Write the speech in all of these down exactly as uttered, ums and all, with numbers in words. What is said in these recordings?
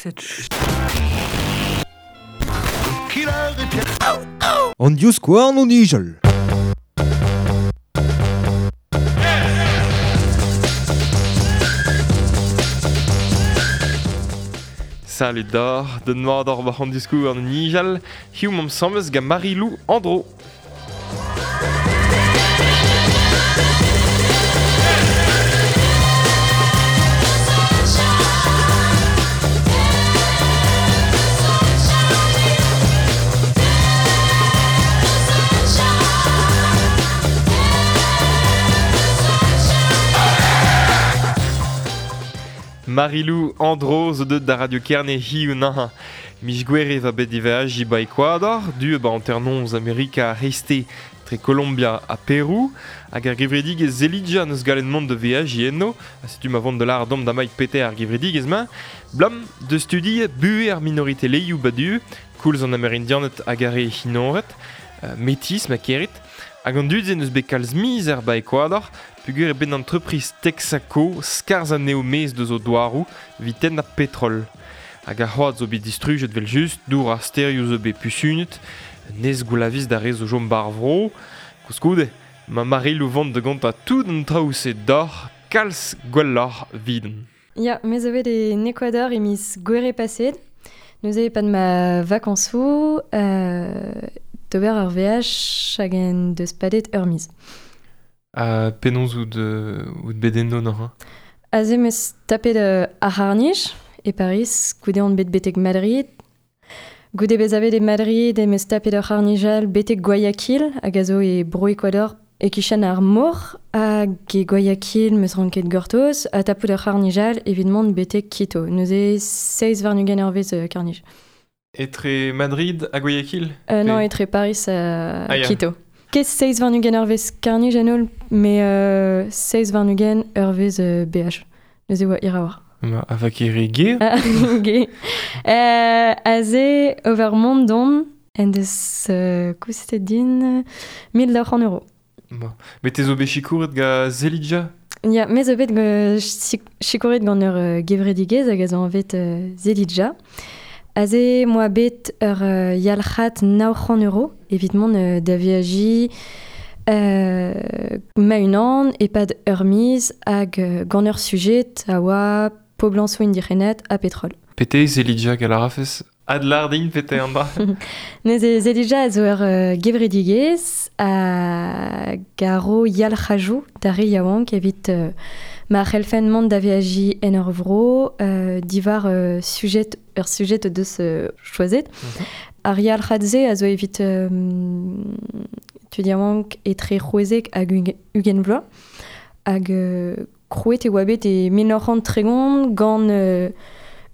Cette An divskouarn o nijal. Salut d'or, de noir d'or war an divskouarn o nijal, hiziv 'mamp asambles gant Marilou Andro. Marilou Andro zo deut da Radio Kerne hiziv naha. Miz Gouere va bet diveajiñ ba Ecuador, du ba hanternoz Amerika reste tre Colombia ha Perou, hag ar gevredigezh Zelidja neus gallet mont da veajiñ eno, ha setu ma vont da lâret deomp damaik pete ar gevredigezh-mañ, blam de studi buhez ar minoritelezhioù ba du, koulz an Amerindianed hag ar re hinored, euh, metis ma kerit, hag an dud-se neus bet kalz mizer ba Ecuador, peogwir eo bet entreprise Texaco skarzh anezho maez deus o douaroù evit tennañ petrol. Hag ar c'hoad zo bet distrujet evel-just, dour ar stêrioù zo bet pusunet, nez goulaviz d'ar re zo chom bar vro. Koulskoude, ma Marilou vont da gontañ tout an traoù-se deoc'h, kalz gwelloc'h 'vidon. Ya, me zo bet en Ecuador e miz Gouere paseet. Neuze e-pad ma vakañsoù, euh, d'ober ur veaj hag en deus padet ur miz. Ha penaos out, euh, out bet eno neuze? Aze 'm eus tapet euh, ar c'harr-nij e Paris, goude on bet betek Madrid. Goude bezañ bet e Madrid em eus tapet ur c'harr-nij all betek Guayaquil, hag a zo e Bro-Ecuador e-kichen ar mor, hag e Guayaquil 'm eus ranket gortoz, ha tapout ur c'harr-nij all evit mont betek Quito. Neuze seizh warn-ugent eurvezh euh, karr-nij. Etre Madrid ha Guayaquil? Euh, non, Pe- etre Paris ha Ah, ya. Quito. Ket seizh warn-ugent eurvezh karr-nij en holl, met euh, seizh warn-ugent eurvezh euh, B H. Neuze oa hir a-walc'h. Ma, a va ket re ger? Ah, ge. Euh, aze over mont dont en deus euh, koustet din mil daou c'hant euro. Ma. Met te zo bet sikouret gant Zelidja? Ya, me zo bet gant sik-, sikouret gant ur, euh, gevredigezh hag a zo anvet, euh, Zelidja. Aze 'moa bet ur, euh, yalc'had nav c'hant euro evit mont, euh, da veajiñ, euh, ma-unan e-pad ur miz hag, euh, gant ur sujet a oa poblañsoù indigenet ha petrol. Pete Zelidja gant ar rafez adlar din pete an dra. Neuze Zelidja a zo ur, euh, gevredigezh hag a ro yalc'hajoù d'ar re yaouank evit, euh, ma c'hellfen mont da veajiñ en ur vro, euh, diwar, euh, sujet, ur sujet deus, euh, choazet. Mhm. Ar yalc'had-se a zo evit, euh, tud yaouank etre c'hwezek hag ug-, ugent vloaz. Hag, euh, krouet e oa bet e mil nav c'hant tregont gant, euh,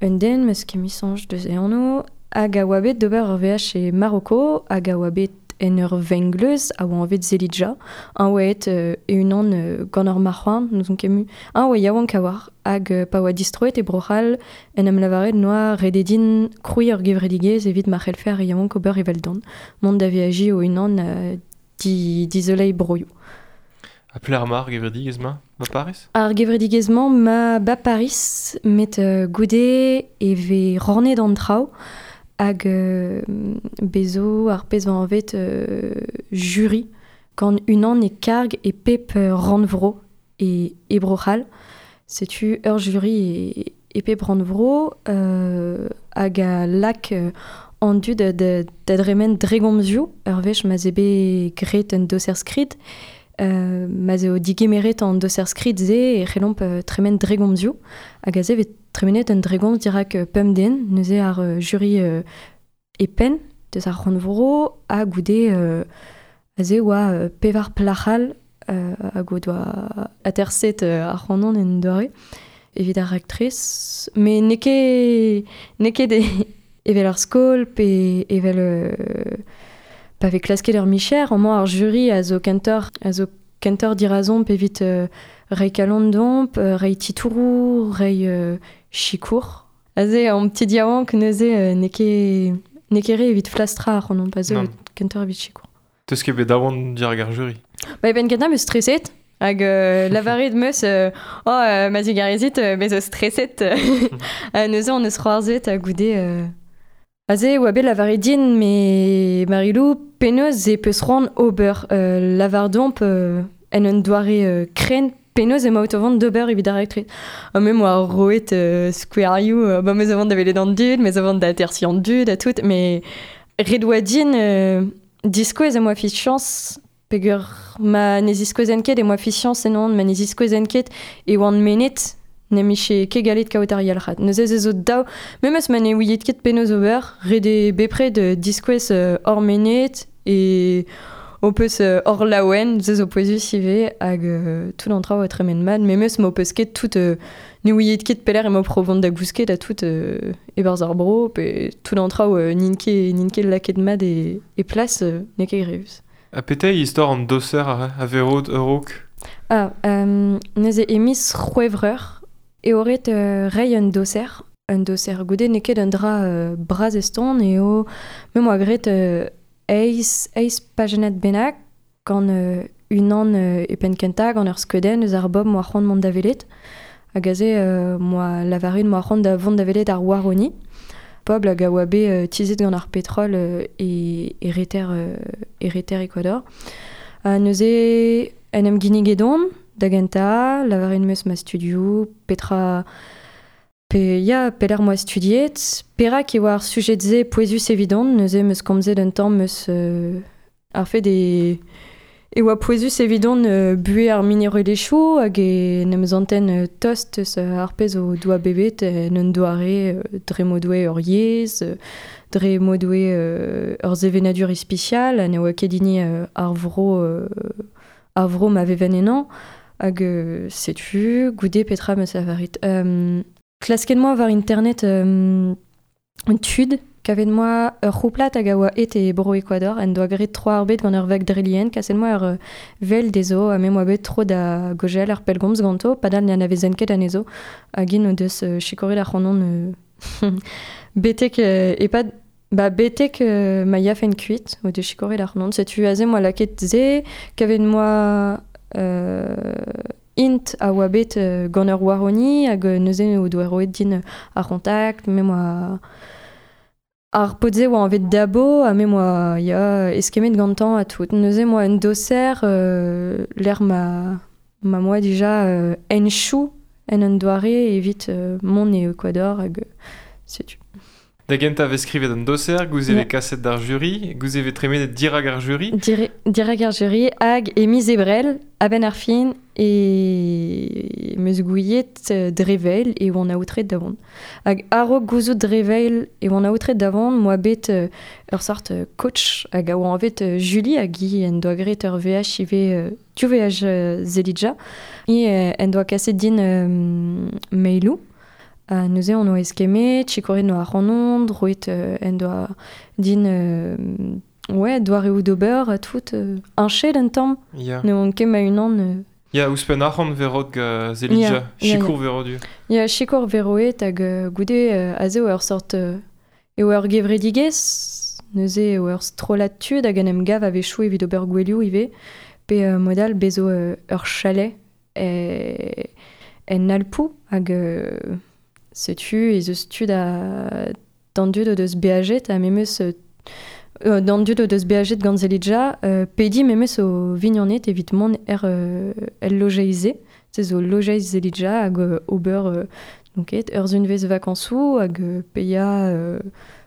un den, meus ket mui soñj deus e anv, hag a oa bet d'ober ur veaj e Maroko, hag a oa bet en ur vengleuz a oa anvet Zelidja, un oa et, euh, e-unan, euh, gant ur marc'houarn, n'ouzon ket mui, un oa yaouank a oar, hag, euh, pa oa distroet e Bro-C'hall, en em lavaret noa rededin krouiñ ur gevredigezh evit ma c'hellfe ar yaouank ober eveldon, mont da veajiñ o-unan, euh, di-, dizoleiñ broioù. Ha pelec'h emañ ar gevredigezh-mañ, ba Paris? Ar gevredigezh-mañ ma ba Paris, met, euh, goude e vez rannet an traoù, hag, euh, bezo ar pezh 'vo anvet, euh, jury, gant unan e karg e pep, euh, rannvro e, e Bro-C'hall. Setu ur jury e, e pep rannvro, euh, hag a lak, euh, an dud da, da, da dremen dregomzioù, ur wech ma'z eo bet graet un doser skrid, euh, ma'z eo digemeret an doser skrid se e c'hellomp, euh, tremen dregomzioù, hag aze 'vez tremenet un dregomz dirak, euh, pemp den, neuze ar, euh, jury, euh, e penn deus ar rannvro, ha goude, euh, aze oa, euh, pevar plac'hal, euh, hag o doa aterset, euh, ar c'hanon en doare evit ar raktres, met n'eo ket, n'eo ket e, evel ar skol pe evel, euh, pa vez klasket ur micher, amañ ar jury a zo kentoc'h, a zo kentoc'h dirazomp evit, euh, reiñ kalon deomp, euh, reiñ titouroù, reiñ, euh, sikour. Aze, an petit yaouank neuze, euh, n'eo ket, n'eo ket re evit flastrañ ar c'hanon, pa zo Non. kentoc'h evit sikour. Teus ket bet daouarn dirak ar jury? Ba, e benn kentañ 'm eus streset, Hag euh, lavaret meus, euh, oh, euh, ma zigarezit, euh, bez o streset, ha neuze on eus c'hoarzet ha goude... Euh... Aze oa bet lavaret din, me Marilou, penaos e peus c'hoant ober. Euh, lavar domp euh, en un doare euh, kren, penaos emaout o vont d'ober evit ar raktres. Ha me moa roet euh, skouerioù, euh, ba meus a vont da welet an dud, meus a vont da atersi an dud ha tout, mais ret oa din euh, diskouez e moa fiziañs, peogwir ma ne ziskouezen ket e moa fiziañs ennon, ma ne ziskouezen ket e oan mennet ne miche ket galet kaout ar yalc'had. Neuze ez zo daou, memes ma ne ouiet ket penaos ober, ret eo bepred euh, diskouez euh, hor mennet e o peus euh, hor laouen, se zo pouezus ivez, hag euh, tout an traoù a tremen mat, memes ma o peus ket tout euh, ne ouiet ket pelec'h emañ pro vont da gousket ha tout euh, e-barzh ar bro, pe tout an traoù euh, n'int ket, n'int ket lakaet mat e, e plas, euh, n'eo ket grevus. Ha petra eo istor an doser a, a verot a-raok? Ah, euh, neuze e miz C'hwevrer eo ret euh, reiñ un doser. Un doser goude n'eo ket un dra euh, bras eston eo me moa graet euh, eizh, eizh pajennad bennak gant euh, unan euh, e penn kentañ gant ur skeudenn eus ar bobl moa c'hoant mont da welet. Hag aze euh, moa lavaret moa c'hoant da vont da welet ar Waroni. Pobl hag a oa bet euh, tizhet gant ar petrol euh, e, e reter, euh, e reter Ecuador. Ha neuze en em ginniget on da gentañ, lavaret 'm eus ma studioù, petra pe ya, pelec'h moa studiet, perak e oa ar sujed-se pouezus evidon, neuze 'm eus komzet un tamm eus euh, ar fed e e oa pouezus evidon euh, buhez ar minerelezhioù hag e en em zanten euh, tost eus ar pezh o doa bevet en un doare euh, dre m'o doe ur yezh, euh, dre m'o doe euh, ur sevenadur ispisial, ha ne oa ket hini euh, ar vro, euh, ar vro ma veven ennañ, hag euh, setu goude petra 'm eus lavaret. Euh, klasket 'moa war internet euh, tud, kavet 'moa ur c'houplad hag a oa aet e bro Ecuador, en doa graet tro ar bed gant ur vag dre-lien, kaset 'moa ur euh, vel dezho, ha me 'moa bet tro da gaozeal ar pellgomz ganto, padal ne anavezen ket anezho, hag int o deus euh, sikouret ac'hanon euh, betek euh, e-pad ba betek euh, ma yafen kuit, o deus sikouret ac'hanon. Setu aze 'moa lakaet se, kavet 'moa euh, int a oa bet euh, gant ur Waroni hag euh, neuze o doa roet din ar c'hontakt, me 'moa ar paotr-se oa anvet Dabo ha me 'moa ya eskemmet gantañ ha tout. Neuze 'moa un doser euh, lec'h ma ma 'moa dija euh, henchoù en un doare evit euh, mont e Ecuador hag euh, setu. Da gentañ vez skrivet an doser, gouze Ya. vez kaset d'ar jury, gouze vez tremenet dirak ar jury. Dire, dirak ar jury hag e miz Ebrel, a-benn ar fin e 'm eus gouiet euh, dre vel e oan aotret da vont. Hag a-raok gouzout dre vel e oan aotret da vont, 'moa bet euh, ur sort euh, coach hag a oa anvet euh, Julie hag hi en doa graet ur veaj ivez euh, div veaj euh, Zelidja. Hi euh, en doa kaset din euh, mailoù. Ha neuze on oa eskemmet, sikouret 'noa ac'hanon, roet euh, en doa din euh, ouais, doareoù d'ober ha tout euh, heñchet un tamm. Ya. Ne oan ket ma-unan euh, Ya, ouzhpenn arc'hant vez roet gant Zelidja, Ya, ya, sikour vez roet du. Ya, sikour vez roet hag euh, goude euh, aze oa ur sort euh, e oa ur gevredigezh, neuze e oa ur strollad tud hag en em gav a-wechoù evit ober gouelioù ivez, pe euh, mod all bez zo euh, ur chalet e, en Alpoù hag euh, setu ez eus tud a d'an dud o deus beajet ha memes euh, euh, d'an dud o deus beajet gant Zelidja, euh, pediñ memes o vignoned evit mont er, euh, el lojeiz-se, se zo lojeiz Zelidja hag euh, ober euh, donc et ur zunvezh vakañsoù hag euh, paeañ euh,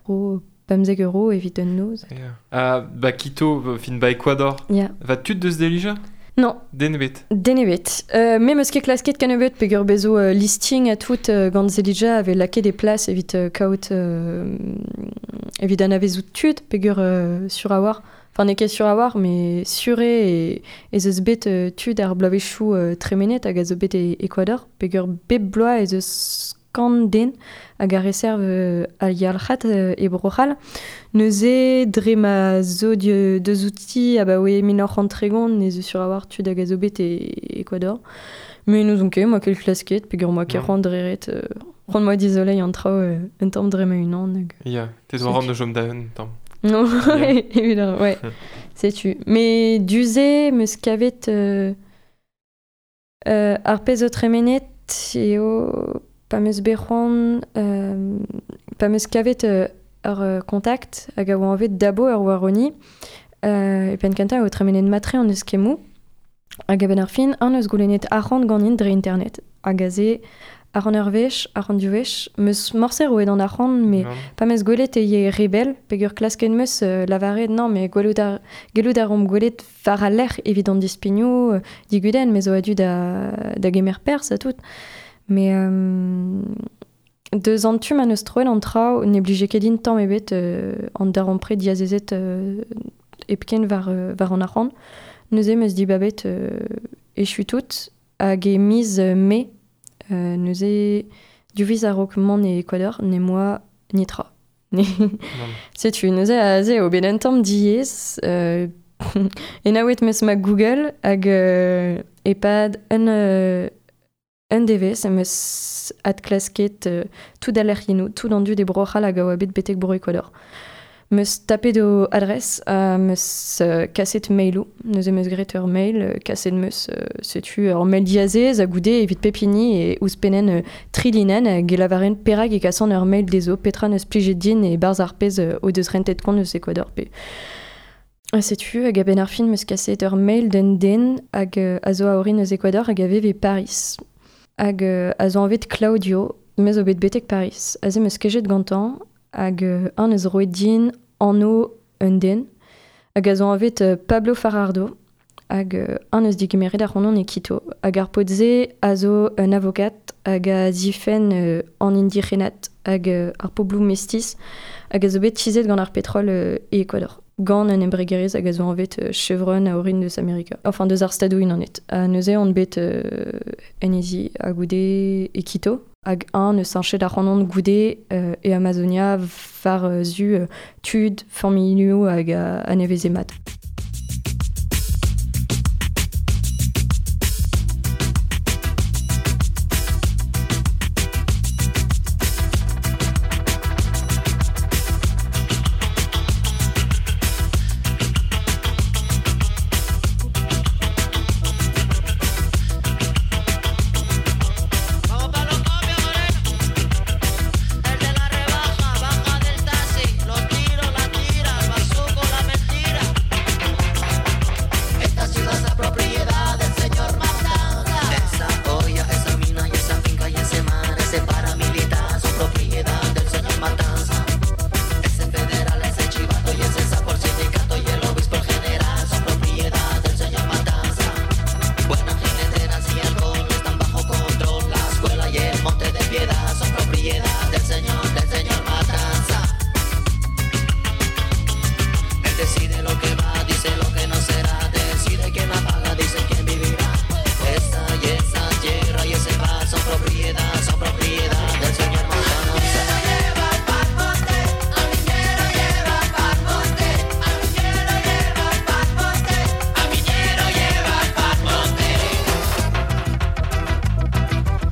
ro pemzek euro evit un noz. Ya. Ha ba Quito, fin ba Ecuador. Ya. Va tud deus Zelidja? Non. Den ebet. Den ebet. Euh, me 'meus ket klasket kennebeut peogwir bez zo euh, listing ha tout euh, gant Zelidja avait lakaet des places evit euh, kaout euh, evit anavezout tud peogwir euh, sur a war. Enfin, n'eo ket sur a war, mais sur eo e, ez eus bet euh, tud ar bloavezhioù euh, tremenet hag a zo bet e Ecuador peogwir bep bloaz ez eus kant den hag a reserv euh, al yalc'had euh, e Bro-C'hall. Neuze dre ma zo die, deus outi abaoe mil nav c'hant tregont ez eus sur a war tud hag a zo bet e Ecuador. Mais n'ouzon ket, 'moa ket klasket, peogwir 'moa ket Non. c'hoant dre ret, euh, c'hoant 'moa dizoleiñ an traoù euh, un tamm dre ma-unan hag... Ya, te zo ran da chom da un tamm. Non, Ya. évidemment, ouais. Setu. Mais du-se 'm eus kavet euh, Euh, ar pezh o tremenet eo pa meus bet c'hoant, euh, pa meus kavet euh, ur euh, kontakt hag a oa anvet Dabo ur waroni, euh, e penn kentañ eo tremenet matre an eus kemmoù, hag a-benn ar fin an eus goulennet arc'hant ganin dre internet. Hag aze ar an ur wech, ar an div wech, meus morse roet an arc'hant, me pa meus gwelet e ye rebel, peogwir klasket meus euh, lavaret non, mais gwelout ar, gellout ar omp gwelet war al lec'h evit an dispignoù, euh, digudenn, me zo a-du da, da gemer perzh ha tout. Mais euh, deus an tu ma neus troet an traoù ne blije ket din tamm ebet euh, an darempred diazezet euh, hepken war, euh, war an arc'hant. Neuze meus dibabet euh, echu tout hag e miz euh, mae euh, neuze div a-raok mont e Ecuador ne moa netra. Setu neuze aze eo bet un tamm diaes euh, enaouet meus ma Google hag euh, e-pad un euh, un devezh em eus adklasket euh, tout al lec'hiennoù, tout an dud e Bro-C'hall hag a oa bet betek Bro Ecuador. Meus tapet o adres ha meus euh, kaset mailoù, neuze meus graet ur mail, euh, kaset meus euh, setu ur mail diazez a goude evit pep hini e ouzhpennen euh, tri linenn hag e lavaren perak e kasan ur mail dezho petra neus plijet din e barzh ar pezh euh, o deus rentet kont eus Ecuador pe. Ha setu hag a-benn ar fin meus kaset ur mail d'un den hag euh, a zo a orin eus Ecuador hag a vev e Paris. Hag euh, a zo anvet Claudio, me zo bet betek Paris. Aze meus kejet gantañ hag euh, an eus roet din anv un den, hag a zo anvet euh, Pablo Farardo, hag euh, an eus digemeret ar c'honon e Quito. Hag ar paotr-se a zo un avokat hag a zifenn euh, an indigenat hag euh, ar pobloù mestiz hag a zo bet tizhet gant ar petrol euh, e Ecuador. Gant un embregerezh hag a zo anvet euh, Chevron a orin deus Amerika. Enfin, deus ar stadoù unanet. Ha neuze on bet euh, en ezi ha goude e Quito. Hag un eus sañchet ar c'hanon goude euh, e Amazonia war euh, zu euh, tud, familhoù hag a, a neveze mat. Vamos pa' los copios, moreno. El de la rebaja, baja del taxi. Los tiros, la tira, el bazuco, la mentira. Esta ciudad es la propiedad del señor Matanza. Esa olla, esa mina y esa finca y ese mar, ese paramilitar son propiedad del señor Matanza. Ese federal, ese chivato y ese sapo, el sindicato y el obispo, el general son propiedad del señor Matanza. Buenas jineteras y alcohol están bajo control. La escuela y el monte de piedad son propiedad del señor, del señor Matanza. Él decide lo que va, dice lo que no será. Decide quién la paga, dice quién vivirá. Esa y esa tierra y ese mar son propiedad, son propiedad del señor Matanza.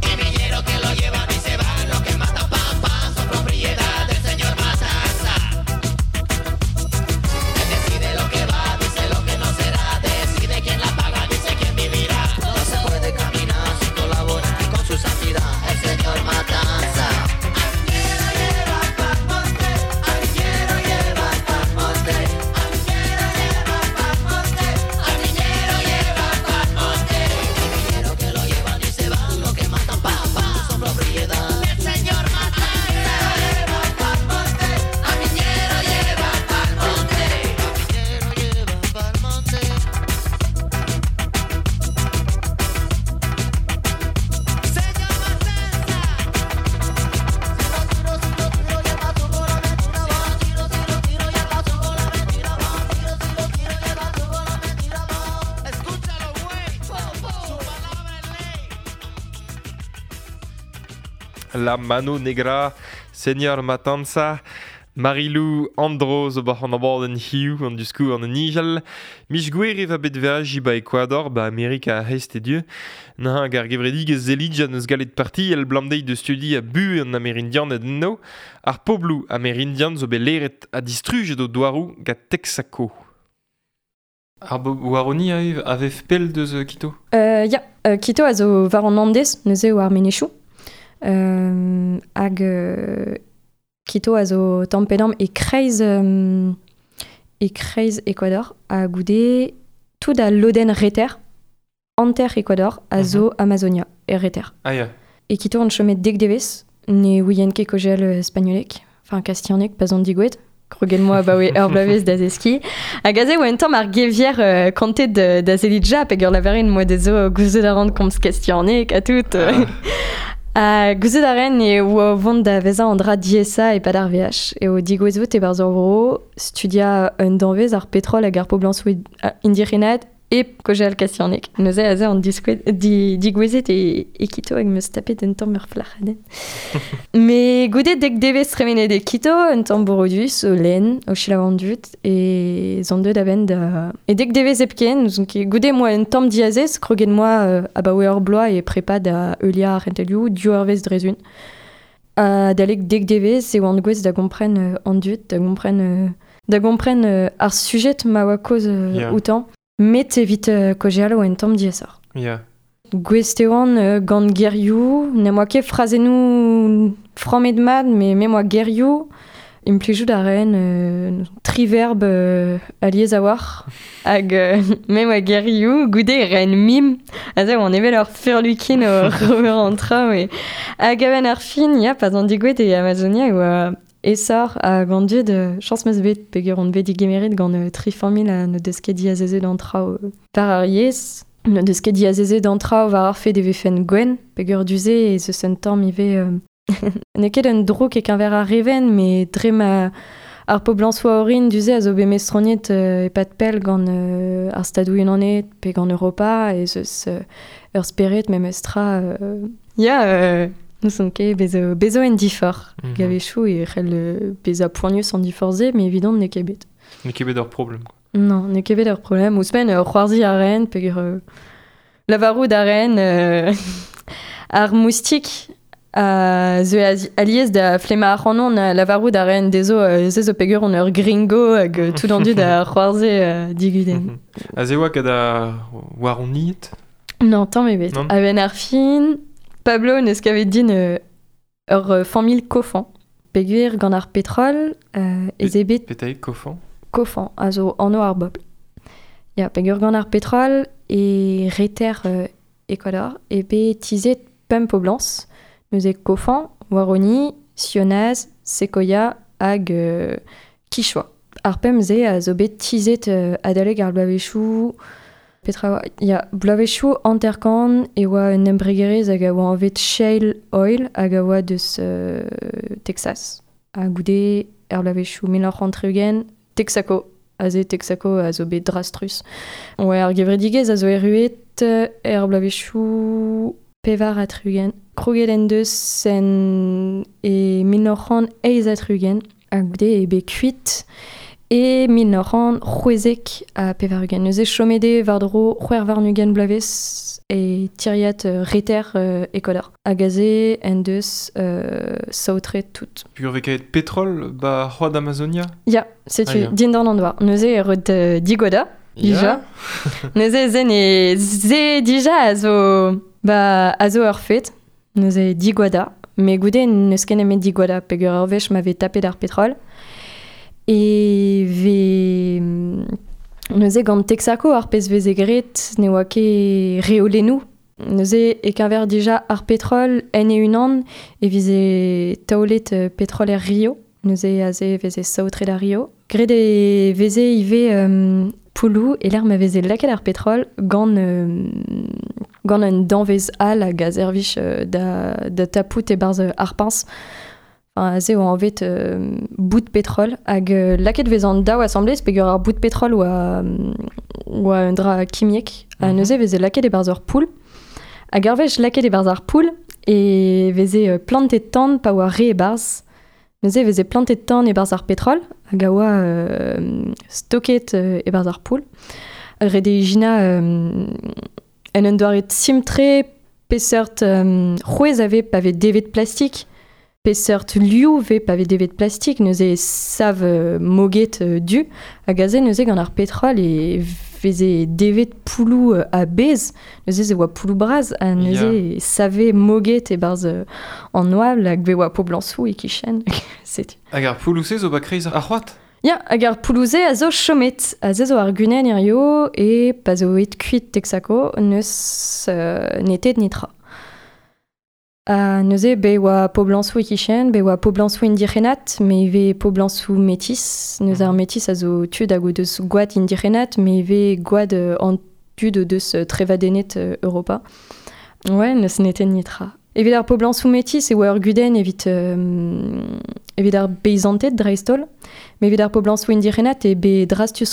El minero que lo llevan y se van, los que matan pam pam son propiedad del señor Matanza. Él decide lo que va, dice lo que no será, decide quién la paga, dice quién vivirá. No se puede caminar sin colaborar con su santidad, el señor Matanza. El minero que lo llevan y se van, los que matan pam pam son propiedad del señor Matanza. Al minero lleva pa'l monte, al minero lleva pa'l monte. Señor Matanza. Si lo tiro, si lo tiro, lleva su bola mentira, va. Tiro, si lo tiro, lleva su bola mentira, va. Tiro, si lo tiro, lleva su bola mentira, va. Escúchalo, güey. Su palabra es ley. La Mano Negra, Señor Matanza, Marilou Andro zo bac'h an abadenn hiziv an diskour an nijal. Mich gwer e va bet veaji ba Ecuador, ba Amerika a hest e dieu. Naha hag ar gevredigezh zelidja neus galet parti el blamdeiz de studi a bu an Amerindian ed enno. Ar pobloù Amerindian zo bet leret ha distrujet o douaroù gant Texaco. Ar bo waroni a vef pel deus Quito? Euh, ya, euh, Quito a zo war an Andes, neuze o ar menechou. Euh, hag euh, Quito a zo tamm-pe-damm e kreiz, euh, e kreiz Ecuador, ha goude tout a lodenn reter, anter Ecuador, a zo mm-hmm. Amazonia, e reter. Ah ya. E Quito an chomet dek devez, ne ouien ket kogel spagnolek, enfin kastianek, pas an digouet. Krogen moa ba oe ur blavez da zeski. Hag aze oa un tamm ar gevier euh, kantet da, da zelidja, peg ur lavarin moa dezo gouzout a ran komz kastianek ha tout. Ah. Ha gouzout a ren e oa vont da vezañ an dra diesa e pad ar V H. E o digouezout e barzh ur vro, studia un danvez ar petrol hag ar poblañsoù indigenat e kogel kastianek. Neuze aze an diskouet, di, digouezet e, e Quito hag meus tapet un tamm ur flac'hadenn. Me goude dek devez tremenet e Quito, un tamm borodus, o lenn, o selaou an dud, e zon deut a-benn da... E dek devez hepken, donc goude moa un tamm diazez, kroget moa euh, abaoe ur bloaz e prepa da eulia ar c'hentelioù, div eurvezh drezun. Ha dalek dek devez e oan gouez da gompren euh, an dud, da gompren, euh, da gompren euh, ar sujet ma oa kaoz euh, yeah. outan. Met evit euh, kojeal oa un tamm diaesoc'h. Yeah. Gouest e oan euh, gant gerioù, n'em boa ket frazennoù frammet mat, me me moa gerioù, implijout a raen euh, tri verb euh, alies a war, hag euh, me moa gerioù, goude e raen mim, aze oan evel ur furlukin o rober an traoù, e hag a-benn ar fin, ya, pas an digouet e Amazonia, oa esor a gant dud, chañs meus bet, peger on bet digemeret gant euh, tri familh a ne deus ket diazezet an traoù euh, par ar yezh, ne deus ket diazezet an traoù war ar fed e vefen gwenn, peger duze e zeus un tamm ivez euh, n'eo ket un drouk e keñver ar reven, me dre ma ar poblañs oa orin duze a zo bet mestroniet euh, e-pad pell gant euh, ar stadoù unanet pe gant Europa, e zeus euh, ur spered memes tra euh, ya euh, Nous ket bezo, bezo en difor. Mm-hmm. Gavechoù e c'hell euh, bezañ poanius an difor-se, mais evidon n'eo ket bet. N'eo ket bet ur problem. Quoi. Non, n'eo ket bet ur problem. Ouzhpenn euh, c'hoarzhiñ a raen, peogwir euh, lavarout a raen euh, ar moustik a zeu alies da flemma ac'hanon a lavarout a raen dezho euh, se zo peogwir on ur gringo hag euh, tout an dud a c'hoarzhe euh, digudenn. Mm-hmm. Aze oa ket a waroniet? Non, tamm ebet. A-benn ar fin... Pablo neus kavet din euh, ur euh, familh kofan. Peogwir gant ar petrol euh, ez eo bet... Petaik kofan? Kofan, a zo anv ar bobl. Ya, peogwir gant ar petrol e reter euh, Ecuador e bet tizhet pemp poblañs. Neuze kofan, Waroni, Sionaz, Sequoia hag euh, Quichua. Ar pemp-se a zo bet tizhet euh, adalek ar bloavezhioù... Petra oa, ya, bloavezhioù hanter-kant e oa un embregerezh hag a oa anvet Shale Oil hag a oa deus euh, Texas. Ha goude er bloavezhioù mil nav c'hant tri-ugent, Texaco. Aze Texaco a zo bet drastrus. Oa ar gevredigezh a zo erruet er bloavezhioù pevar ha tri-ugent. Kroget en deus en e mil nav c'hant eizh ha tri-ugent. Ha goude e bet kuit e mil nav c'hant c'hwezek ha pevar-ugent. Neuze chomet eo war-dro c'hwec'h warn-ugent bloavezh e tiriad euh, reter euh, Ecuador. Hag aze en deus euh, saotret tout. Peogwir vez kavet petrol ba c'hoad Amazonia? Ya, setu, Ah, ya. dindan an douar. Neuze e rod euh, digoda, dija. Neuze zen e ze dija a zo, ba, a zo ur fet. Neuze digoada. Me goude n'eus ket nemet digoada, peogwir ur wech ma vez tapet ar petrol. E vez neuze gant Texaco ar pezh veze graet ne oa ket reolennoù. Neuze e keñver dija ar petrol en e-unan e vize taolet euh, petrol er Rio. Neuze aze veze saotret ar Rio. Graet e veze ivez euh, pouloù e lec'h ma veze lakaet ar petrol gant, euh, gant un danvez all hag a servij euh, da, da tapout e-barzh ar piñs. Enfin, aze oa anvet euh, bout petrol hag euh, lakaet vez an daou asamblez peogwir ar bout petrol oa, oa un dra kimiek. Ha Mhm. neuze veze lakaet e-barzh ur poull. Hag ar wech lakaet e-barzh ar poull e veze euh, plantet tan pa oa re e-barzh. Neuze veze plantet tan e-barzh ar petrol hag a oa euh, stoket euh, e-barzh ar poull. Ret eo ijinañ euh, en un doare simp-tre peseurt euh, c'hwezh a vez pa vez devet plastik. Peseurt liv vez pa vez devet plastik, neuze sav euh, moget euh, du, hag aze neuze gant ar petrol e veze devet poulou euh, a bez, neuze ze oa poulou braz, ha neuze yeah. save moget e barz euh, an oabl hag be oa poblansou e kichen. Setu. Hag ar poulou se zo ba kreiz ar c'hoad? Ya, hag ar poulouze a zo chomet, a ze zo ar gunen hirio e pa zo et kuit Texaco neus euh, netet nitra. A neuze be oa poblansou e kichen, be oa poblansou indigenat, me ivez poblansou metis. Neuze ar metis a zo tud hag o deus gwad indigenat, me ivez gwad an tud o deus trevadennet Europa. Ouais, neus netet nitra. Evit ar poblansou metis e oa ur gudenn evit, euh, evit ar beizanted dreist-holl, me evit ar poblansou indigenat e be drastus,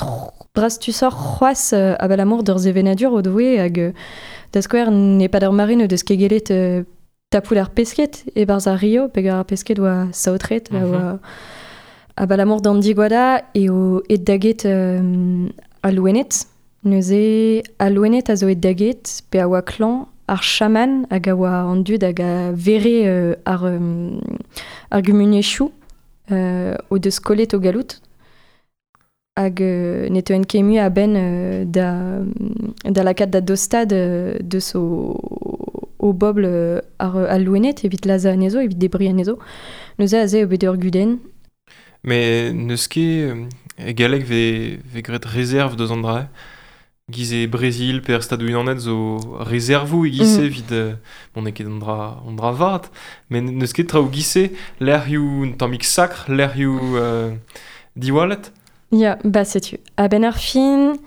drastusor c'hoazh euh, abalamour d'ur sevenadur o doe hag euh, da skouer ne pad ar mare o deus kegelet euh, tapout ar pesket e barz ar rio, peger ar pesket oa saotret, mm -hmm. oa abalamour d'an digwada e o et daget euh, a louenet. Neuze a louenet a zo et daget pe a oa klan ar chaman hag a oa an dud hag a vere euh, ar, euh, ar gumuniezhioù euh, o deus kollet o galout hag euh, ne teuen ket mui a-benn euh, da, da lakaat da dostad euh, deus o, o bobl euh, ar, al louenet evit laza anezho, evit debri anezho. Neuze aze eo bet ur gudenn. Mais neus ket e galleg ve, ve graet réserve deus an dra. Giz e Brésil pe ar Stadoù Unanet zo réservou e giz mm. evit euh, bon, n'eo ket an dra, an dra vat, met neus ket traoù giz-se lec'hioù un tammig sakr, lec'hioù euh, diwallet. Ya, ba setu. A-benn ar fin,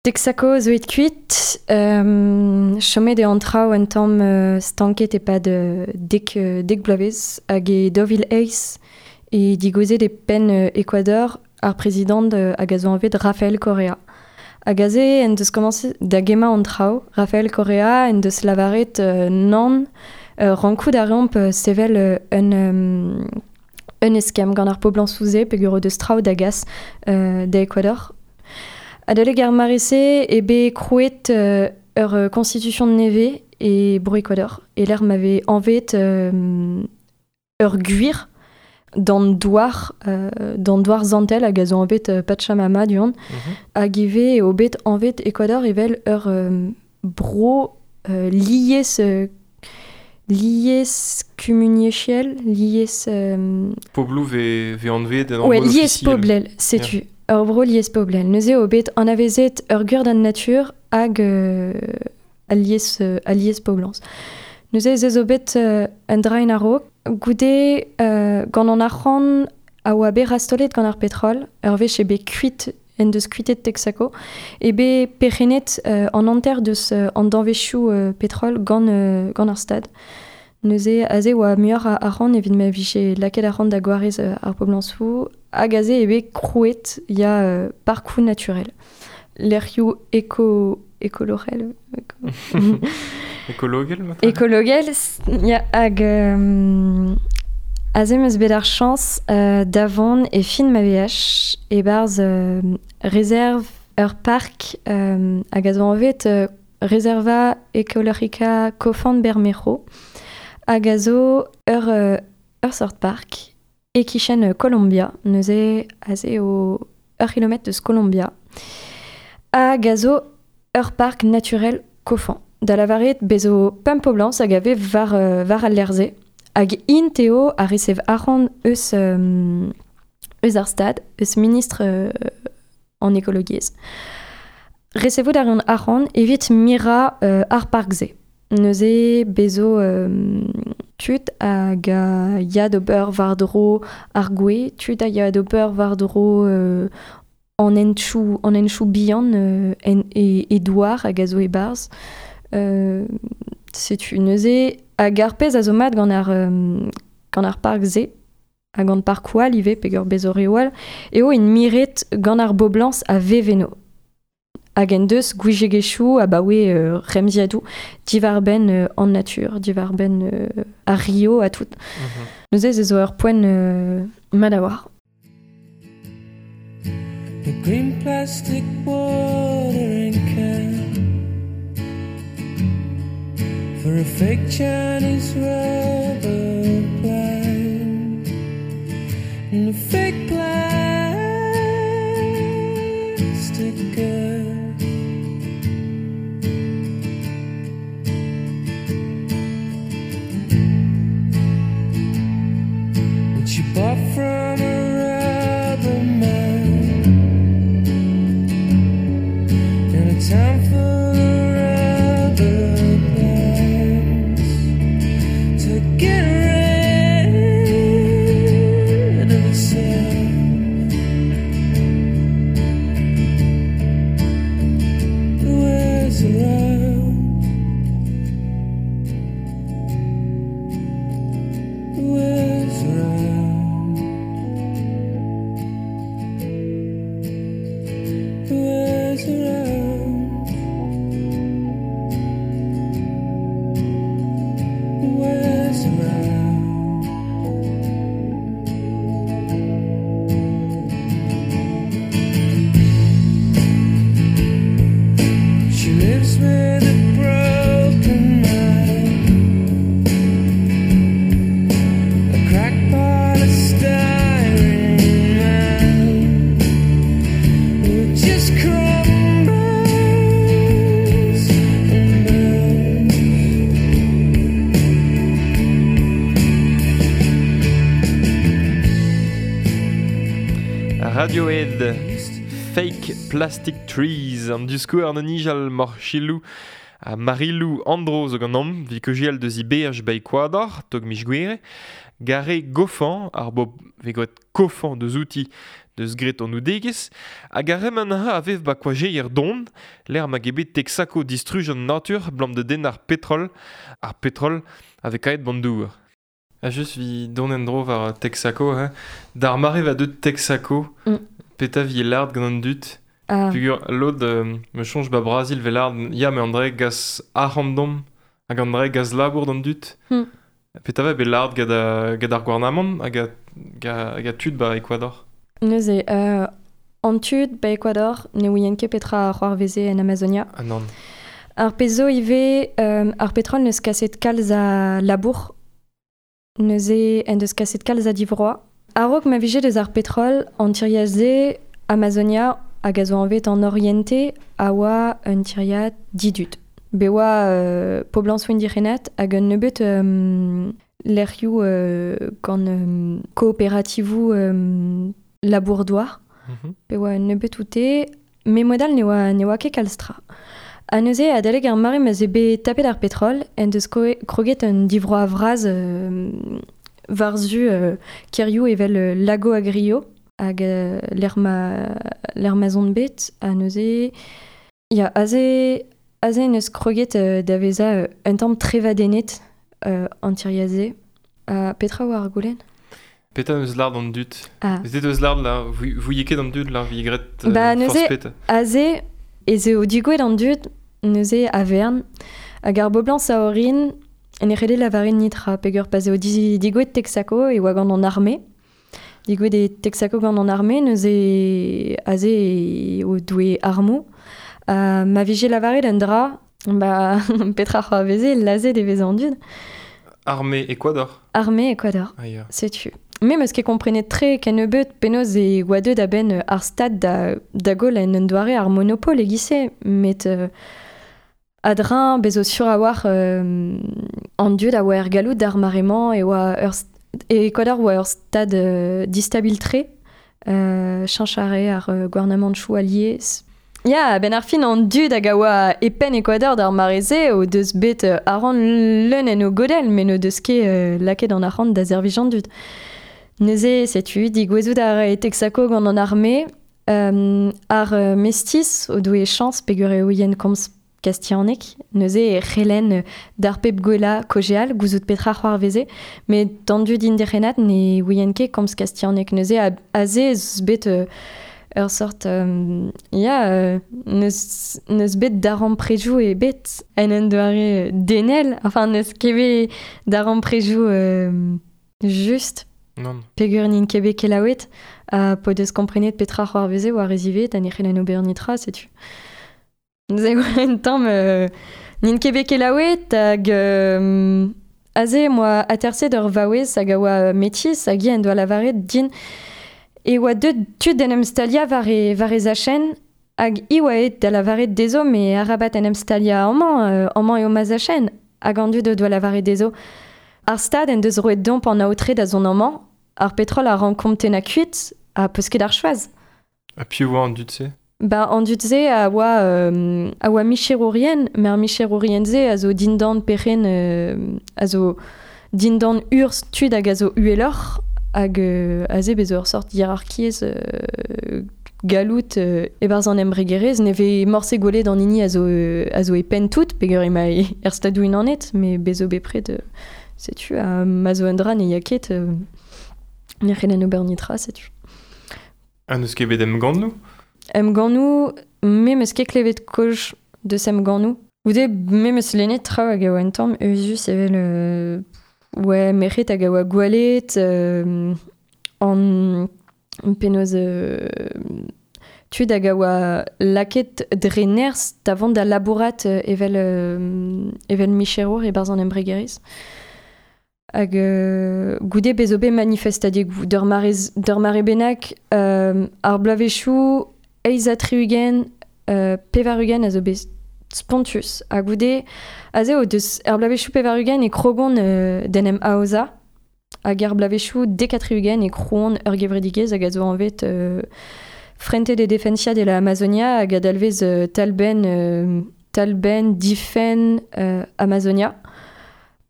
Texaco zo et kuit, euh, chomet eo an traoù un tamm euh, stanket e-pad euh, dek, euh, dek bloavezh hag e daou vil eizh e digouezet e penn euh, Ecuador ar prezidant euh, hag a zo anvet Rafael Correa. Hag aze en deus komañset da gemmañ an traoù, Rafael Correa en deus lavaret euh, nann euh, rankout a reomp euh, sevel euh, un, euh, un eskemm gant ar poblañsoù-se peogwir o deus traoù da gas euh, da Ecuador. Adalek ar mare-se e bet krouet euh, ur constitution nevez e bro Ecuador. E lec'h ma vez anvet euh, ur gwir d'an douar, euh, d'an douar zantel hag a zo anvet euh, Pachamama du-hont, mm -hmm. hag ivez eo bet anvet Ecuador evel ur euh, bro euh, lies euh, lies kumuniezhel, lies... Euh... Pobloù ve, ve anvet en ouais, lies poblel, setu. Yeah. Ur bro lies poblel. Neuze eo bet anavezet ur gwir d'an natur hag euh, al lies, euh, al lies poblans. Neuze ez zo bet euh, un draen a-raok. Goude euh, gant an arc'hant a oa bet rastolet gant ar petrol, ur wech eo bet kuit en deus kuitet Texaco, e bet perc'hennet euh, an hanter deus euh, an danvezioù euh, petrol gant, euh, gant ar stad. Neuze aze oa muioc'h a arc'hant evit ma vije lakaet arc'hant da gwarez euh, ar poblañsoù, hag aze eo bet krouet ya euh, parkoù naturel. Lec'hioù eko, ekologel... Eko... Ekologel, maintenant. Ekologel, ya hag euh, aze 'm eus bet ar chañs euh, da vont e fin ma veaj e-barzh euh, réserve ur park euh, hag a zo anvet euh, Reserva Ecológica Cofán Bermejo hag a zo ur, euh, ur sort park e-kichen Colombia, neuze aze o ur kilometr deus Colombia hag a zo ur park naturel Cofán. Da lavaret bezo pemp poblañs hag a vez war, euh, war al lec'h-se. Hag int eo a resev arc'hant eus, euh, eus ar stad, eus ministr euh, an ekologiezh. Resevout a reont arc'hant evit mirañ euh, ar park-se. Neuze bezo euh, tud hag a ya d'ober war-dro ar gwez, tud a ya d'ober war-dro euh, an henchoù, an henchoù bihan euh, en, e, e douar hag a zo e-barzh. Euh, setu neuze hag ar pezh a zo mat gant ar, euh, gant ar park-se hag gant parkoù all ivez peogwir bezo reoù all eo int miret gant ar boblañs a veveno. Hag en deus gouiziegezhioù abaoe euh, remziadoù diwar-benn euh, an natur, diwar-benn euh, ar rio ha tout. Mm -hmm. Neuze ze zo ur poent euh, mat a-walc'h. The green plastic watering can for a fake Chinese rubber plant and a fake plastic girl. Radiohead, Fake Plastic Trees, an diskour an nijal mor chilou a Marilou Andro zo gant om, vi kejial deus i B H ba Ecuador, tog mich gwere, gare gofan, ar bob ve gret kofan deus outi deus gret an oudegez, hag ar reman ha a vev ba koajeier don, l'er ma gebet Texaco distruj an natur blam de den ar petrol, ar petrol avec aet bandour. A just vi don en dro war Texaco, hein. D'ar mare va deut Texaco, mm. Peta vi lard gant an dut. Ah. Pugur lod euh, me chonj ba Brazil ve lard, ya me André gas arandom, hag André gas labour d'an dut. Mm. Peta va be lard gad, gad ar gouarnamant hag a, hag a tud ba Ecuador. Neuze, euh, an tud ba Ecuador ne ouien ket petra ar c'hoarveze en Amazonia. Ah non. Ar pezo ive, euh, ar petrol neus kaset kalz a labour, neuze en deus kaset kalz a divroa. A-raok ma vije deus ar petrol, an tiriad-se Amazonia hag a zo anvet an Oriente a oa un tiriad didud. Be oa euh, poblañsoù indigenat hag un nebeut euh, lec'hioù euh, gant euh, kooperativoù euh, labour-douar. Mm-hmm. Be oa un nebeut oute, me modal ne oa, ne oa ket kalz tra. Ha neuze, adalek ar mare ma ze bet tapet ar petrol, en deus kroget un divroa vraz euh, varzu euh, kerioù evel euh, Lago Agrio, hag euh, l'er ma, l'er ma zon bet, ha neuze... Ya, aze, aze neus kroget euh, da veza euh, un tamm trevadennet euh, an tiriaze. Uh, petra oa ar goulenn? Petra neus lard an dut. Ah. Ez eus lard la, vouiez ket an dud la, vi gret euh, Ba, neuze, peta. Aze, ez eo digouet an dud, neuze a vern, hag ar boblañs a orin, en e c'helle lavarin nitra, peogwir pa eo digouet Texaco e oa gant an arme. Digouet e Texaco gant an arme, neuze aze o doue armoù. Uh, ma vije lavaret un dra, ba, petra c'hoarveze, lazet e veze an dud. Armée Ecuador. Armée Ecuador, ah, yeah. Setu. Me meus ket komprenet tre kennebeut penaos e oa deut a-benn ar stad da, da gaol en un doare ar monopol e-giz-se, met euh, adrin bezo sur a war euh, an dud a oa er galloud d'ar mare-mañ e oa ur e Ecuador oa ur stad euh, distabil tre, euh, cheñch ar euh, gouarnamant chou allié. Ya, ben ar fin an dud hag a oa e penn Ecuador d'ar mare-se o deus bet euh, arc'hant leun en o godell, met n'o deus ket euh, lakaet an arc'hant da servij an dud. Neuze, setu, digouezout ar e Texaco gant an arme, euh, ar euh, mestiz o doe chañs peogwir eo yen komz kastianek, neuze e c'hellen d'ar pep gwella kojeal, gouzout petra c'hoarveze, met d'an dud indigenat ne ouien ket komz kastianek, neuze a, aze eus bet euh, ur sort, euh, ya, euh, neus, neus bet daremprejoù e bet en un doare denel, enfin neus ket bet daremprejoù euh, just. Non. Peogwir n'int ket bet kelaouet, ha po deus komprenet petra c'hoarveze war e zivet, ha ne c'hellen ober nitra, setu. Neuze oa un tamm euh, n'int ket bet kelaouet hag euh, aze moa aterset ur vaouez hag a oa metis hag hi en doa lavaret din e oa deut tud d'en em stalia war e, war e zachenn hag i oa aet da lavaret dezho me arabat en em stalia amañ, euh, amañ eo ma zachenn hag an dud o doa lavaret dezho. Ar stad en deus roet domp an aotre da zont amañ, ar petrol a rankomp tennañ kuit ha peus ket ar choaz. Ha piv oa an dud-se? Ba, an dud-se a oa, euh, a oa micherourien, met ar micherourien-se a zo dindan perc'henn, euh, a zo dindan urzh tud hag a zo uheloc'h, hag euh, aze bez ur sort hierarkiezh euh, gallout euh, e-barzh an embregerezh, ne vez morse gwelet an hini a zo, euh, a zo e penn tout, peogwir ema er stadoù unanet, met bez zo bepred, euh, setu, ha ma zo un dra ne ya ket, euh, ne c'hellen ober nitra, setu. Ha n'eus ket bet emgannoù? Emgannoù, me meus ket klevet kaoz deus emgannoù. Goude, me meus lennet traoù hag a oa un tamm euzhus evel euh, ouais, merc'hed hag a oa gwalet, euh, an penaos euh, tud hag a oa lakaet dre nerzh da vont da labourat evel, euh, evel micherour e-barzh an embregerezh. Hag euh, goude bez zo bet manifestadegoù d'ur mare, d'ur mare bennak euh, ar bloavezhioù eizh ha tri-ugent, euh, pevar-ugent a zo bet spontus. Ha goude, aze o deus ar bloavezhioù pevar-ugent e krogont euh, d'en em aozañ, Hag ar blavezhioù dek ha tri-ugent e krouont ur gevredigezh hag a zo anvet euh, Frente de Defensa de la Amazonia hag a dalvez euh, talbenn, euh, talbenn difenn euh, Amazonia.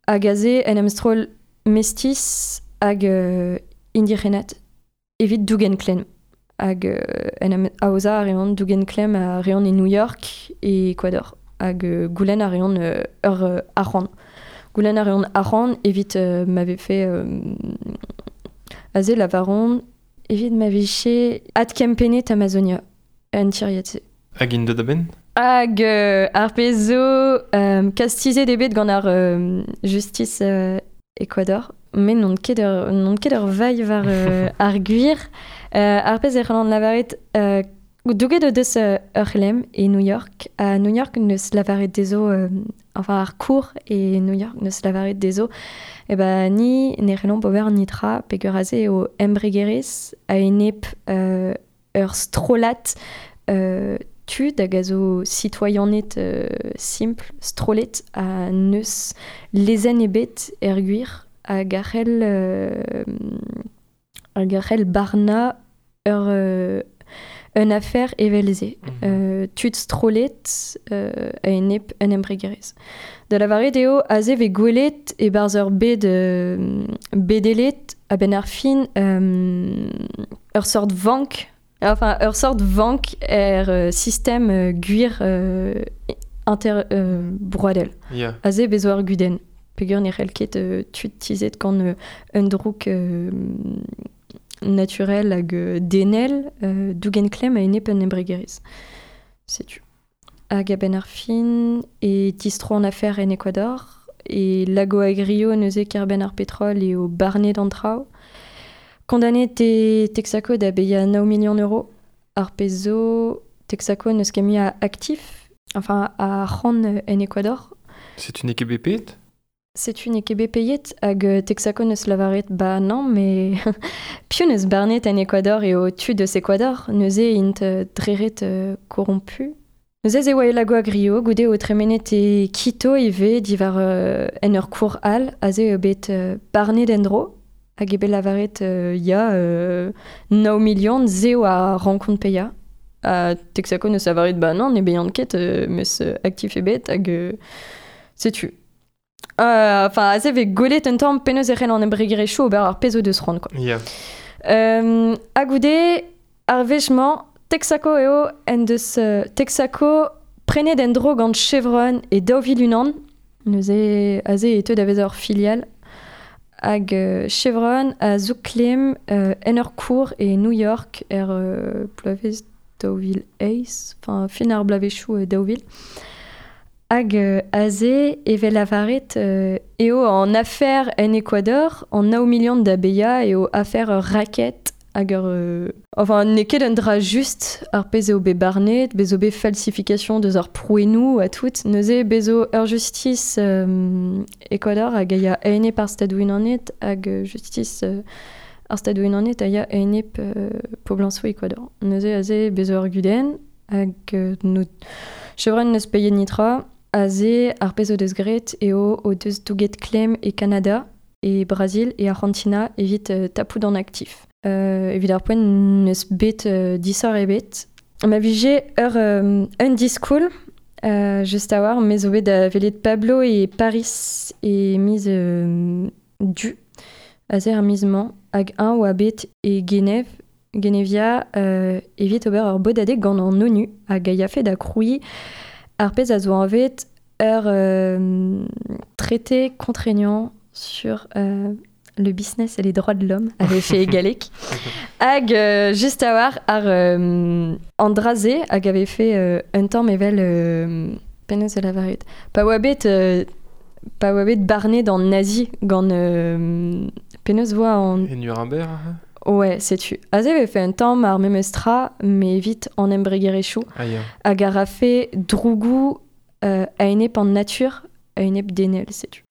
Hag aze en em stroll mestis hag euh, indigenat evit dougen klemm. Hag euh, en em aozañ a reont dougen klemm a reont e New York e Ecuador. Hag euh, goulenn a reont euh, ur euh, arc'hant. Goulenn a reont arc'hant evit euh, m'avait fait euh, aze lavaron evit ma vije adkempennet Amazonia en tiriad-se. Hag int deut a-benn? Hag euh, ar pezh zo euh, kastizet eo bet gant ar euh, justice euh, Ecuador, met n'on ket ur, n'on ket ur vailh war euh, ar gwir. Euh, ar pezh e c'hallan lavaret euh, douget o deus euh, ur c'hlemm e New York. A New York neus lavaret dezho, euh, enfin ar cour e New York neus lavaret dezho, e ba ni ne c'hellomp ober nitra peogwir aze eo embregerezh a-enep euh, ur strollad euh, tud hag a zo citoyened euh, simpl, strollet a neus lezenn ebet er gwir hag a c'hell euh, hag a c'hell barnañ ur euh, un affaire evel-se. Mm. Euh, tud strollet euh, a-enep un embregerezh. Da lavaret eo aze vez gwelet e-barzh ur bed euh, bedelet a-benn ar fin euh, ur sort vank, enfin ur sort vank er euh, sistem euh, gwir euh, inter euh, broadel. Ya. Aze bezo ar gudenn. Peogwir ne c'hell ket euh, tud tizhet gant euh, un drouk euh, naturel hag euh, denel euh, dougen klemm a-enep un embregerezh. Setu. Hag a-benn ar fin e distro an afer en Ecuador e Lago Agrio neuze kêr-benn ar petrol eo barnet an traoù. Kondanet eo Texaco da baeañ nav million euro. Ar pezh zo Texaco n'eus ket mui a aktif, enfin a arc'hant en Ecuador. Setu n'eo ket bet paeet? Setu n'eo ket bet paeet hag euh, Texaco neus lavaret ba non, mais piv neus barnet en Ecuador eo tud eus Ecuador, neuze int euh, dreret euh, corrompu. Neuze ez e oa e Lago Agrio, goude o tremenet e Quito ivez diwar euh, en ur cour all, aze eo bet euh, barnet en-dro, hag eo bet lavaret euh, ya euh, nav million zeo a rankont paeañ. Ha Texaco neus lavaret ba non, ne baean ket, euh, meus euh, aktif ebet hag euh, setu. Euh, enfin, aze vez gwelet un tamm penaos e c'hell an embregerezhioù ober ar pezh o deus c'hoant, quoi. Ya. Euh, ha goude, ar wech-mañ, Texaco eo en deus euh, Texaco prenet en-dro gant Chevron e daou vil unan, neuze aze e teu da vezañ ur filial, hag euh, Chevron a zo klemm euh, en ur cour e New York er euh, bloavezh daou vil eizh, enfin fin ar bloavezhioù euh, daou vil. Hag euh, aze evel lavaret euh, eo an affaire en Ecuador, an nav million da baeañ eo affaire ur racket hag ur... Euh, enfin, n'eo ket un dra just ar pezh eo bet barnet, bez zo bet falsification deus ar prouennoù ha tout. Neuze bez zo ur justice euh, Ecuador hag a ya a-enep ar Stadoù-Unanet hag euh, justice euh, ar Stadoù-Unanet a ya a-enep euh, poblañsoù Ecuador. Neuze aze bez zo ur gudenn hag euh, no, Chevron neus paeet nitra. Aze ar pezh o deus graet eo o deus douget klemm e Kanada, e Brazil e Argentina evit euh, tapout an aktif. Euh, evit ar poent n'eus bet euh, disoc'h ebet. Ma vije ur euh, un diskoul, euh, just a-walc'h, me zo bet da welet Pablo e Paris e miz euh, du, aze ar miz-mañ, hag un oa bet e Genève, Genevia euh, evit ober ur bodadeg gant an ONU hag a yafe da krouiñ ar pezh a zo anvet ur euh, traité contraignant sur euh, le business et les droits de l'homme avait fait galek. Hag euh, just a-walc'h ar euh, an dra-se hag avait fait euh, un tamm evel euh, penaos e lavaret. Pa oa bet euh, pa oa bet barnet an nazi gant euh, penaos voa an E Nuremberg, hein? Ouais, setu. Aze avait fait un tamm ar memes tra, mais evit an embregerezhioù Ah ya. hag a rafe drougou euh, a-enep an natur, a-enep denel, setu.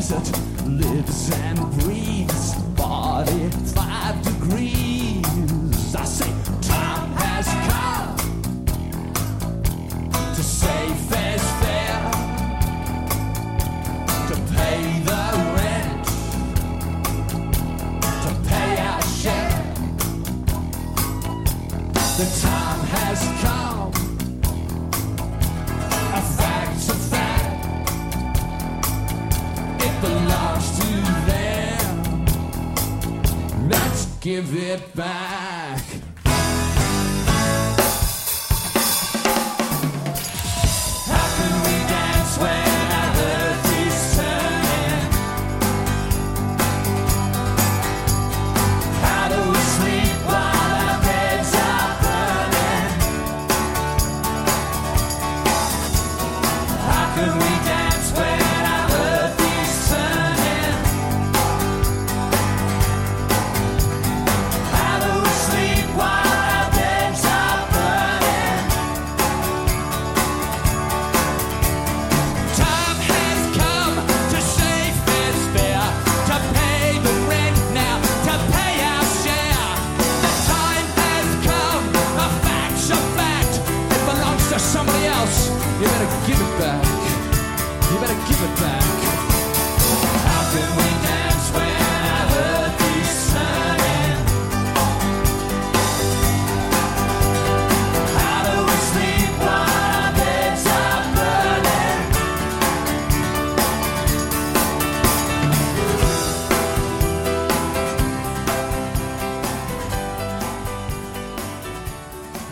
desert lives and breathes forty-five degrees. I say time has come to say fair's fair, to pay the rent, to pay our share. The time has come, a fact's a fact, it belongs to them, let's give it back. How can we dance when our earth is turning? How do we sleep while our beds are burning? How can we dance when our earth is turning? How do we sleep while our beds are burning? Time has come to say fair's fair, to pay the rent now, to pay our share. The time has come, a fact's a fact, it belongs to somebody else. You better give it back. You better give it back. How can we dance when our earth is turning? How do we sleep while our beds are burning?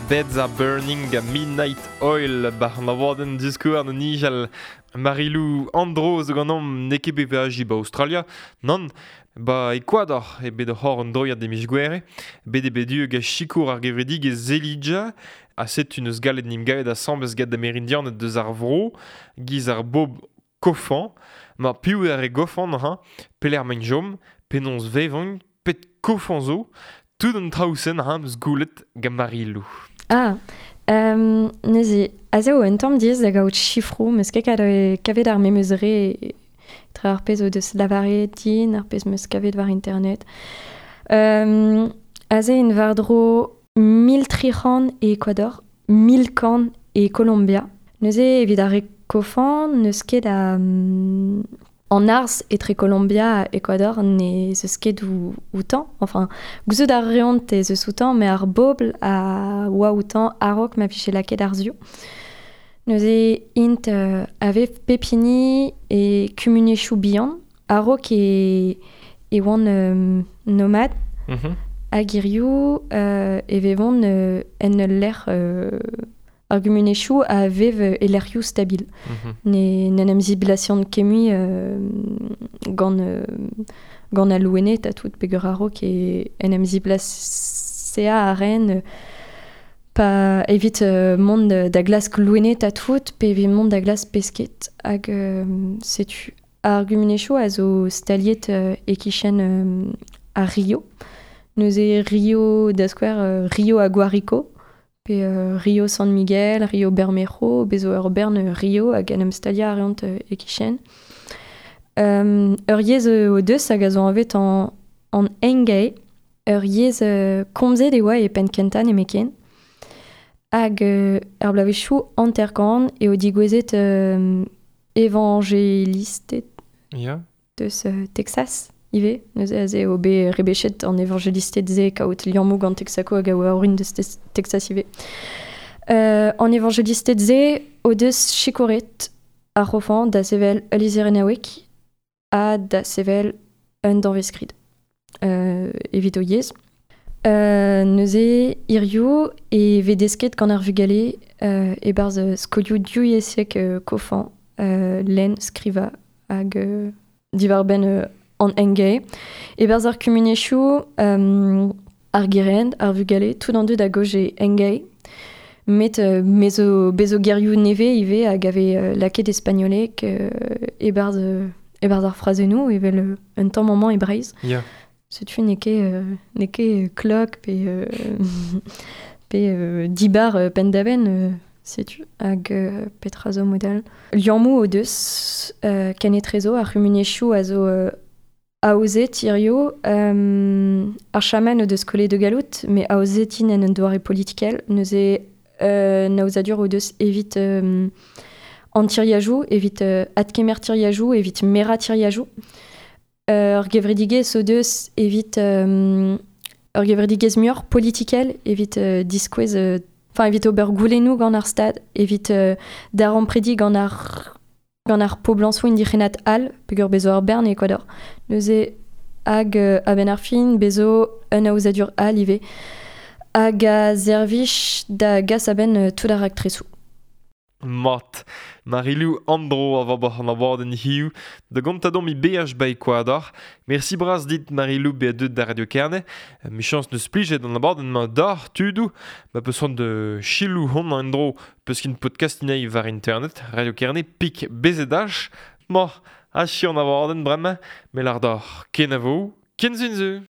Beds are Burning a Midnight Oil ba an abadenn diskouarn an nijal Marilou Andro zo ganeomp n'eo ket bet veaji ba Australia, nann, ba Ecuador e bet hor an droiad e miz Gouere, bet e bet hag a sikour ar gevredigezh Zelidja, a setu neus gallet nim gaet asambles gant Amerindianed deus ar vro, giz ar bob kofan, ma piv eo ar e gofan ha, pelec'h maint jom, penaos vevont, pet kofan zo, tout an traoù-sen ha meus goulet gant Marilou. Ah, um, neuze, aze o un tamm diaes da gaout chifroù, meus ket kavet ar memes re tra ar pezh o deus lavaret din, ar pezh meus kavet war internet. Um, aze en war-dro mil tri c'hant e Ecuador, mil kant e Colombia. Neuze evit ar re kofan, n'eus ket a... Um, en arz etre Colombia ha Ecuador ne zeus ket ou, outan. Enfin, gouzout ar reont ez eus outan, met ar bobl a oa outan a-raok ma vije lakaet ar zioù. Neuze int euh, a vev pep hini e kumuniezhioù bihan, a-raok e, e oant euh, nomad, mm-hmm. hag hiziv euh, e vevont euh, en ul lec'h euh, ar gumuniezhioù a vev e lec'hioù stabil. Mm-hmm. Ne n'en em ziblasion ket mui euh, gant, euh, gant al loened ha tout peogwir a-raok e en em ziblasea a ren euh, pa evit euh, mont da glask loened ha tout, pe evit mont da glask pesked. Hag euh, setu ar gumuniezhioù a zo staliet euh, e-kichen euh, ar Rio. Neuze Rio da skouer euh, Rio Aguarico, pe euh, Rio San Miguel, Rio Bermejo, bez zo ur bern Rio hag en em staliañ a reont euh, e-kichen. Um, ur yezh o deus hag a zo anvet an, an Engae, ur yezh euh, komzet e oa e penn kentañ nemetken. Hag euh, ar bloavezhioù hanter-kant eo digouezet euh, evangelisted yeah. deus euh, Texas ivez. Neuze aze eo bet rebechet an evangelisted-se kaout liammoù gant Texaco hag a oa orin deus Texas ivez. Euh, an evangelisted-se o deus sikouret ar c'hofan da sevel ul lizherennaoueg ha da sevel un danvez-skrid euh, evit o yezh. Euh, neuze hiziv e vez desket gant ar vugale euh, e-barzh skolioù divyezhek euh, kofan euh, lenn, skrivañ hag euh, diwar-benn euh, an Engae. E-barzh ar kumuniezhioù euh, ar gerent, ar vugale, tout an dud a gaoz e Engae. Met euh, me zo, bez zo gerioù nevez ivez hag a vez euh, lakaet e spagnoleg euh, e-barzh, euh, e-barzh ar frazennoù evel euh, un tamm amañ e Breizh. Yeah. Setu n'eo ket, euh, n'eo ket klok pe, euh, pe euh, dibar euh, penn-da-benn, euh, Setu hag euh, petra zo model. Liammoù o deus euh, kenetrezo ar c'humuniezhioù a zo euh, aozet hirio euh, ar chaman o deus kole de galout, mais aozet int en un doare politikel, neuze euh, naozadur o deus evit euh, an tiriajoù, evit euh, adkemer tiriajoù, evit mera tiriajoù. Ur gevredigezh o deus evit euh, ur gevredigezh muioc'h politikel evit euh, diskouez euh, enfin evit ober goulennoù gant ar stad, evit euh, daremprediñ gant ar gant ar poblañsoù indigenat all, peogwir bezo ar bern e Ecuador. Neuze hag euh, a-benn ar fin bezo un aozadur all ivez. Hag a servij da gas a-benn euh, tout ar raktresoù. Mat. Marilou Andro a vo an abadenn hiziv, da gontañ deomp he beaj ba Ecuador. Mersi bras dit Marilou bezañ deuet da Radio Kerne. Michañs neus plijet an abadenn-mañ deoc'h tudoù. Ma peus c'hoant da selaou hon en-dro peus kin podcast inei war internet. Radio Kerne pik B Z H. Ma, achu an abadenn bremañ, me lar deoc'h kenavo, ken sizhun.